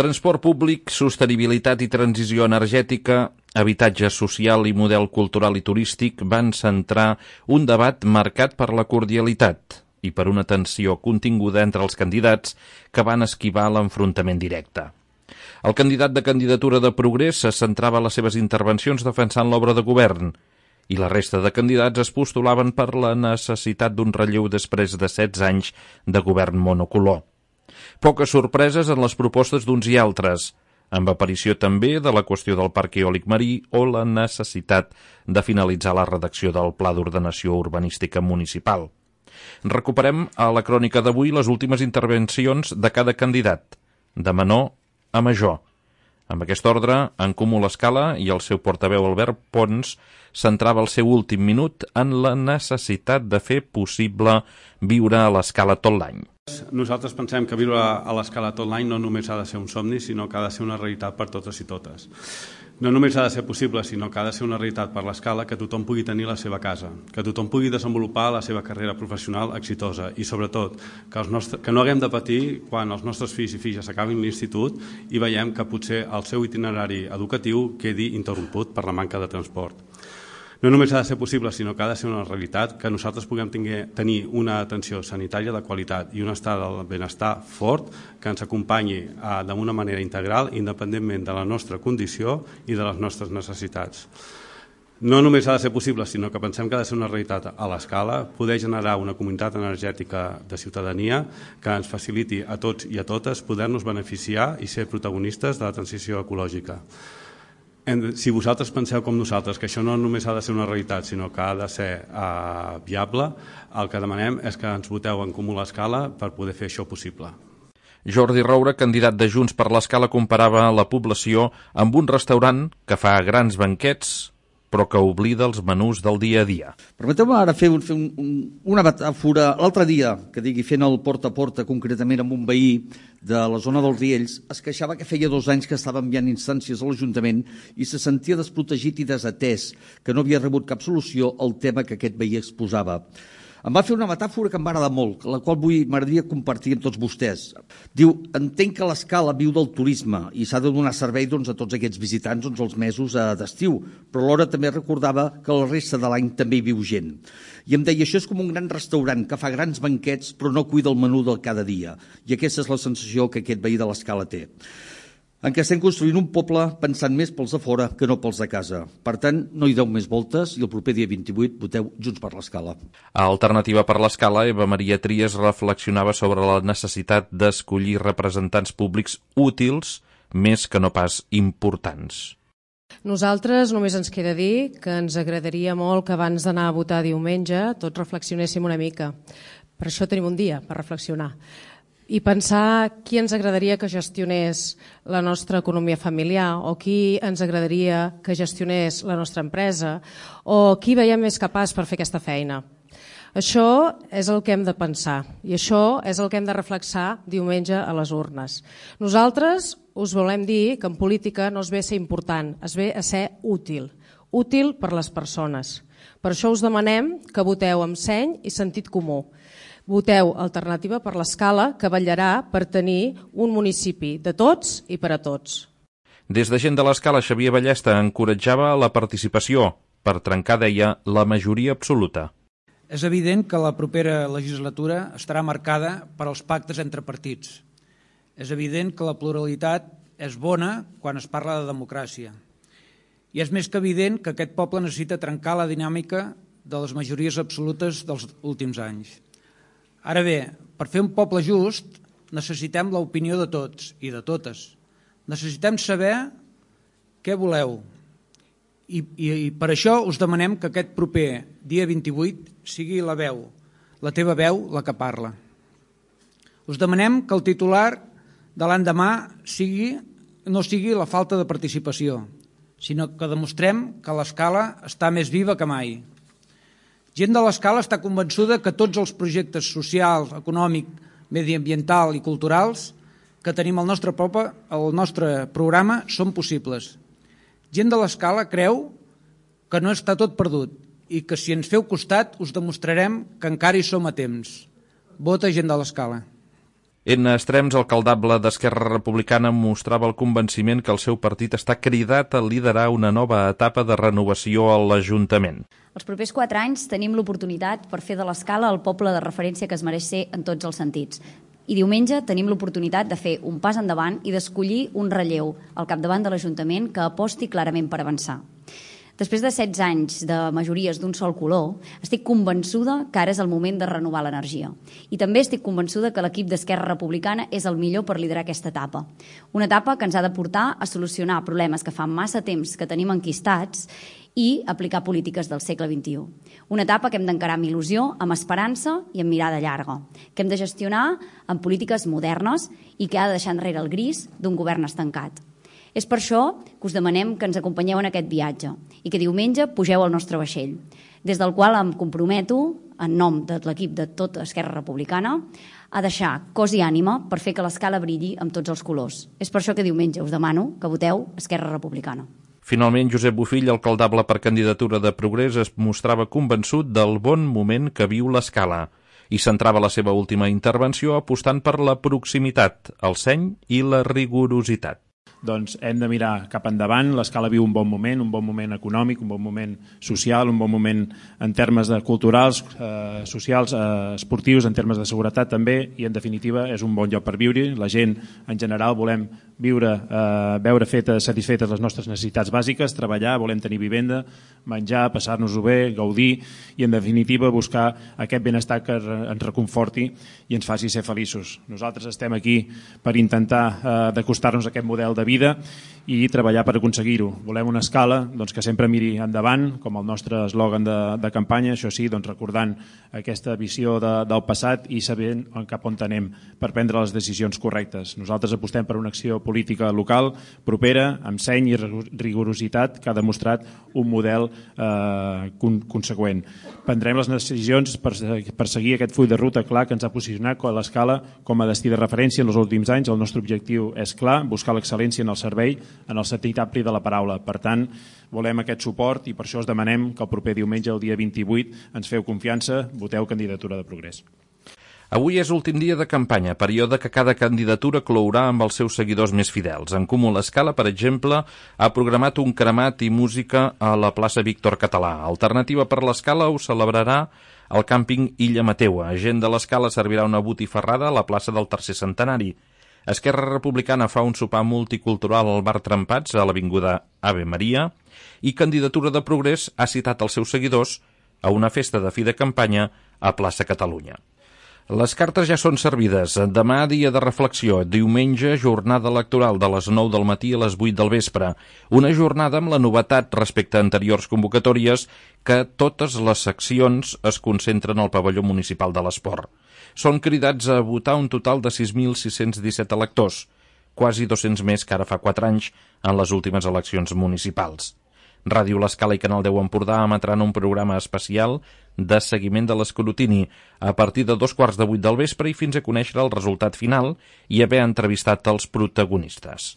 Transport públic, sostenibilitat i transició energètica, habitatge social i model cultural i turístic van centrar un debat marcat per la cordialitat i per una tensió continguda entre els candidats que van esquivar l'enfrontament directe. El candidat de candidatura de Progrés se centrava les seves intervencions defensant l'obra de govern i la resta de candidats es postulaven per la necessitat d'un relleu després de 16 anys de govern monocolor. Poques sorpreses en les propostes d'uns i altres, amb aparició també de la qüestió del parc eòlic marí o la necessitat de finalitzar la redacció del Pla d'Ordenació Urbanística Municipal. Recuperem a la crònica d'avui les últimes intervencions de cada candidat, de menor a major. Amb aquest ordre, en Comú l'Escala i el seu portaveu Albert Pons centrava el seu últim minut en la necessitat de fer possible viure a l'Escala tot l'any. Nosaltres pensem que viure a l'Escala tot l'any no només ha de ser un somni, sinó que ha de ser una realitat per totes i totes. No només ha de ser possible, sinó que ha de ser una realitat per l'Escala que tothom pugui tenir la seva casa, que tothom pugui desenvolupar la seva carrera professional exitosa i, sobretot, que no haguem de patir quan els nostres fills i filles acabin l'institut i veiem que potser el seu itinerari educatiu quedi interromput per la manca de transport. No només ha de ser possible, sinó que ha de ser una realitat que nosaltres puguem tenir una atenció sanitària de qualitat i un estat del benestar fort que ens acompanyi d'una manera integral, independentment de la nostra condició i de les nostres necessitats. No només ha de ser possible, sinó que pensem que ha de ser una realitat a l'Escala, poder generar una comunitat energètica de ciutadania que ens faciliti a tots i a totes poder-nos beneficiar i ser protagonistes de la transició ecològica. Si vosaltres penseu com nosaltres que això no només ha de ser una realitat, sinó que ha de ser viable, el que demanem és que ens voteu en Comú l'Escala per poder fer això possible. Jordi Roura, candidat de Junts per l'Escala, comparava la població amb un restaurant que fa grans banquets però que oblida els menús del dia a dia. Permeteu-me ara fer una metàfora. L'altre dia, que digui, fent el porta a porta, concretament amb un veí de la zona dels Riells, es queixava que feia 2 anys que estava enviant instàncies a l'Ajuntament i se sentia desprotegit i desatès, que no havia rebut cap solució al tema que aquest veí exposava. Em va fer una metàfora que em va agradar molt, la qual m'agradaria compartir amb tots vostès. Diu, entenc que l'Escala viu del turisme i s'ha de donar servei a tots aquests visitants els mesos d'estiu, però alhora també recordava que la resta de l'any també hi viu gent. I em deia, això és com un gran restaurant que fa grans banquets però no cuida el menú del cada dia. I aquesta és la sensació que aquest veí de l'Escala té. En què estem construint un poble pensant més pels de fora que no pels de casa. Per tant, no hi deu més voltes i el proper dia 28 voteu Junts per l'Escala. A Alternativa per l'Escala, Eva Maria Trias reflexionava sobre la necessitat d'escollir representants públics útils més que no pas importants. Nosaltres només ens queda dir que ens agradaria molt que abans d'anar a votar diumenge tots reflexionéssim una mica. Per això tenim un dia per reflexionar. I pensar qui ens agradaria que gestionés la nostra economia familiar o qui ens agradaria que gestionés la nostra empresa o qui veiem més capaç per fer aquesta feina. Això és el que hem de pensar i això és el que hem de reflexar diumenge a les urnes. Nosaltres us volem dir que en política no es ve a ser important, es ve a ser útil per les persones. Per això us demanem que voteu amb seny i sentit comú. Voteu Alternativa per l'Escala, que vetllarà per tenir un municipi de tots i per a tots. Des de Gent de l'Escala, Xavier Ballesta encoratjava la participació per trencar, deia, la majoria absoluta. És evident que la propera legislatura estarà marcada per als pactes entre partits. És evident que la pluralitat és bona quan es parla de democràcia. I és més que evident que aquest poble necessita trencar la dinàmica de les majories absolutes dels últims anys. Ara bé, per fer un poble just necessitem l'opinió de tots i de totes. Necessitem saber què voleu. I per això us demanem que aquest proper dia 28 sigui la teva veu, la que parla. Us demanem que el titular de l'endemà no sigui la falta de participació, sinó que demostrem que l'Escala està més viva que mai. Gent de l'Escala està convençuda que tots els projectes socials, econòmic, mediambiental i culturals que tenim al nostre programa són possibles. Gent de l'Escala creu que no està tot perdut i que si ens feu costat us demostrarem que encara hi som a temps. Vota Gent de l'Escala. En extrems, el caldable d'Esquerra Republicana mostrava el convenciment que el seu partit està cridat a liderar una nova etapa de renovació a l'Ajuntament. Els propers 4 anys tenim l'oportunitat per fer de l'Escala el poble de referència que es mereix ser en tots els sentits. I diumenge tenim l'oportunitat de fer un pas endavant i d'escollir un relleu al capdavant de l'Ajuntament que aposti clarament per avançar. Després de 16 anys de majories d'un sol color, estic convençuda que ara és el moment de renovar l'energia. I també estic convençuda que l'equip d'Esquerra Republicana és el millor per liderar aquesta etapa. Una etapa que ens ha de portar a solucionar problemes que fa massa temps que tenim enquistats i aplicar polítiques del segle XXI. Una etapa que hem d'encarar amb il·lusió, amb esperança i amb mirada llarga, que hem de gestionar amb polítiques modernes i que ha de deixar enrere el gris d'un govern estancat. És per això que us demanem que ens acompanyeu en aquest viatge i que diumenge pugeu al nostre vaixell, des del qual em comprometo, en nom de l'equip de tota Esquerra Republicana, a deixar cos i ànima per fer que l'Escala brilli amb tots els colors. És per això que diumenge us demano que voteu Esquerra Republicana. Finalment, Josep Bofill, alcaldable per candidatura de Progrés, es mostrava convençut del bon moment que viu l'Escala i centrava la seva última intervenció apostant per la proximitat, el seny i la rigorositat. Doncs hem de mirar cap endavant. L'Escala viu un bon moment econòmic, un bon moment social, un bon moment en termes de culturals, socials, esportius, en termes de seguretat també, i en definitiva és un bon lloc per viure. La gent en general volem viure, veure satisfetes les nostres necessitats bàsiques, treballar, volem tenir vivenda, menjar, passar-nos-ho bé, gaudir i en definitiva buscar aquest benestar que ens reconforti i ens faci ser feliços. Nosaltres estem aquí per intentar d'acostar-nos a aquest model de vida i treballar per aconseguir-ho. Volem una Escala que sempre miri endavant, com el nostre eslògan de campanya, això sí, recordant aquesta visió del passat i sabent cap on anem per prendre les decisions correctes. Nosaltres apostem per una acció política local, propera, amb seny i rigorositat, que ha demostrat un model conseqüent. Prendrem les decisions per seguir aquest full de ruta clar que ens ha posicionat l'Escala com a destí de referència en els últims anys. El nostre objectiu és clar, buscar l'excel·lència en el servei, en el sentit ampli de la paraula. Per tant, volem aquest suport i per això us demanem que el proper diumenge, el dia 28, ens feu confiança, voteu candidatura de Progrés. Avui és l'últim dia de campanya, període que cada candidatura clourà amb els seus seguidors més fidels. En Comú l'Escala, per exemple, ha programat un cremat i música a la plaça Víctor Català. Alternativa per l'Escala ho celebrarà al càmping Illa Mateua. Gent de l'Escala servirà una botifarrada a la plaça del Tercer Centenari. Esquerra Republicana fa un sopar multicultural al bar Trempats a l'avinguda Ave Maria i Candidatura de Progrés ha citat els seus seguidors a una festa de fi de campanya a Plaça Catalunya. Les cartes ja són servides. Demà, dia de reflexió. Diumenge, jornada electoral de les 9 del matí a les 8 del vespre. Una jornada amb la novetat respecte a anteriors convocatòries que totes les seccions es concentren al pavelló municipal de l'Esport. Són cridats a votar un total de 6.617 electors, quasi 200 més que ara fa 4 anys en les últimes eleccions municipals. Ràdio l'Escala i Canal 10 Empordà emetran un programa especial de seguiment de l'escrutini a partir de 2:15 del vespre i fins a conèixer el resultat final i haver entrevistat els protagonistes.